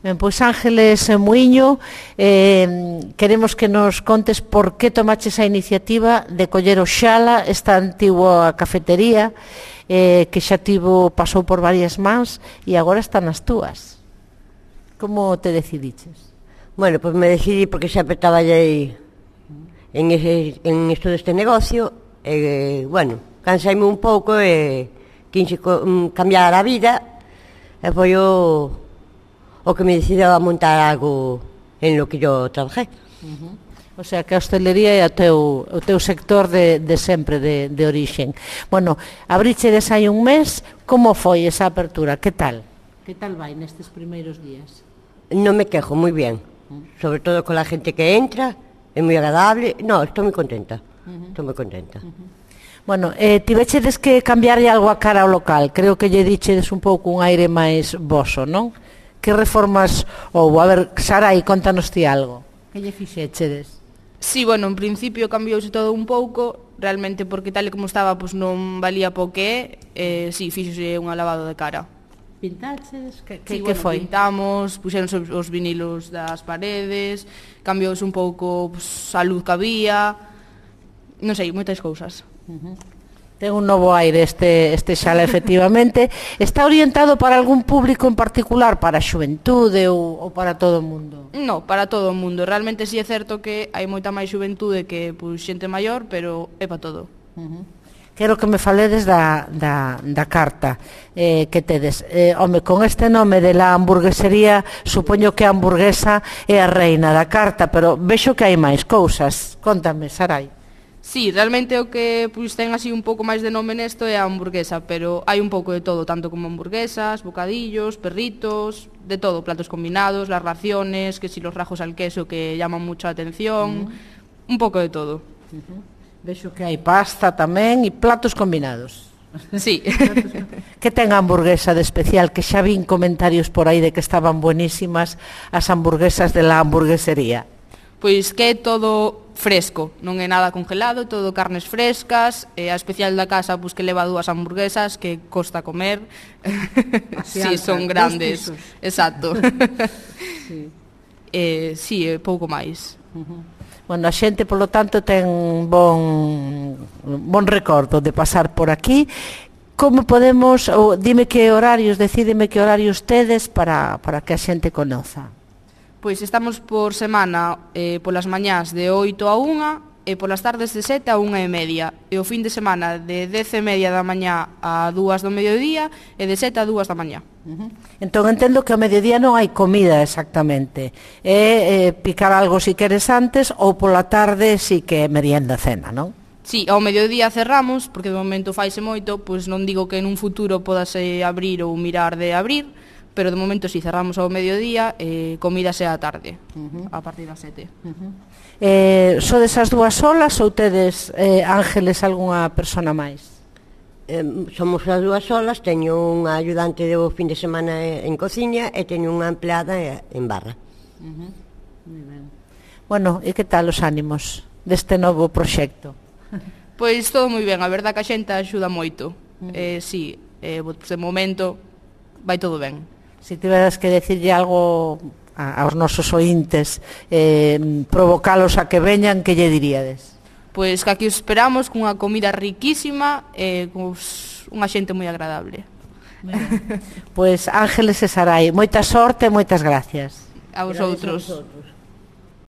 Ben, pois Ángeles Muiño, queremos que nos contes por que tomaches a iniciativa de coller o Xala, esta antigua cafetería que xa pasou por varias mans e agora está nas túas. Como te decidiches? Bueno, pois me decidí porque sempre traballei en isto deste negocio e, bueno, cansaime un pouco e quinxe cambiar a vida e foi o que me decidiu a montar algo en lo que yo trabajé. O sea, que a hostelería é o teu sector de sempre, de orixen. Bueno, abrichedes hai un mes, como foi esa apertura? Que tal? Que tal vai nestes primeiros días? Non me quejo, moi bien. Sobre todo con la gente que entra, é moi agradable. No, estou moi contenta. Estou moi contenta. Bueno, tivechedes que cambiarlle algo a cara ao local. Creo que lle dichedes un pouco un aire máis voso, non? Que reformas houve? A ver, Sarai, contanos ti algo. Que lle fixechedes? Sí, bueno, en principio cambiouse todo un pouco, realmente porque tal e como estaba, pois non valía po que é, sí, fixose un lavado de cara. Pintaches? Que foi? Pintamos, puxeron os vinilos das paredes, cambiouse un pouco a luz que había, non sei, moitas cousas. Ten un novo aire este Xala, efectivamente. Está orientado para algún público en particular, para a xuventude ou para todo o mundo? No, para todo o mundo. Realmente sí é certo que hai moita máis xuventude que xente maior, pero é para todo. Quero que me faledes da carta que tedes. Home, con este nome de la hamburguesería, supoño que a hamburguesa é a reina da carta, pero vexo que hai máis cousas. Contame, Sarai. Sí, realmente o que ten así un pouco máis de nome nesto é a hamburguesa, pero hai un pouco de todo, tanto como hamburguesas, bocadillos, perritos, de todo, platos combinados, las raciones, que si los rajos al queso que llaman mucha atención, un pouco de todo. Vexo que hai pasta tamén e platos combinados. Sí. Que ten a hamburguesa de especial? Que xa vin comentarios por aí de que estaban buenísimas as hamburguesas de la hamburguesería. Pois que é todo fresco, non é nada congelado, todo carnes frescas, a especial da casa pois que leva 2 hamburguesas que costa comer. Sí, son grandes. Exacto. Sí, pouco máis. Bueno, a xente, polo tanto, ten bon recordo de pasar por aquí. Como podemos, dime que horarios, decídeme que horarios tedes para que a xente conoza. Pois estamos por semana polas mañás de 8 a 1 e polas tardes de 7 a 1:30 e o fin de semana de 10:30 da mañá a 2 do mediodía e de 7 a 2 da mañá. Entón entendo que ao mediodía non hai comida exactamente, é picar algo si queres antes ou pola tarde si que é merienda cena, non? Sí, ao mediodía cerramos, porque de momento faise moito, pois non digo que en un futuro podase abrir ou mirar de abrir, pero de momento si cerramos ao mediodía, comida sea a tarde, a partir das 7. Sodes as 2 solas ou tedes, Ángeles, algunha persona máis? Somos as 2 solas, teño unha ayudante do fin de semana en cociña e teño unha empleada en barra. Moi ben. Bueno, e que tal os ánimos deste novo proxecto? Pois todo moi ben, a verdad que a xente axuda moito. Sí, de momento vai todo ben. Se tiveras que decirlle algo aos nosos ointes, provocalos a que veñan, que lle diríades? Pois que aquí os esperamos cunha comida riquísima e unha xente moi agradable. Pois Ángeles e Sarai, moita sorte e moitas gracias. A vosotros.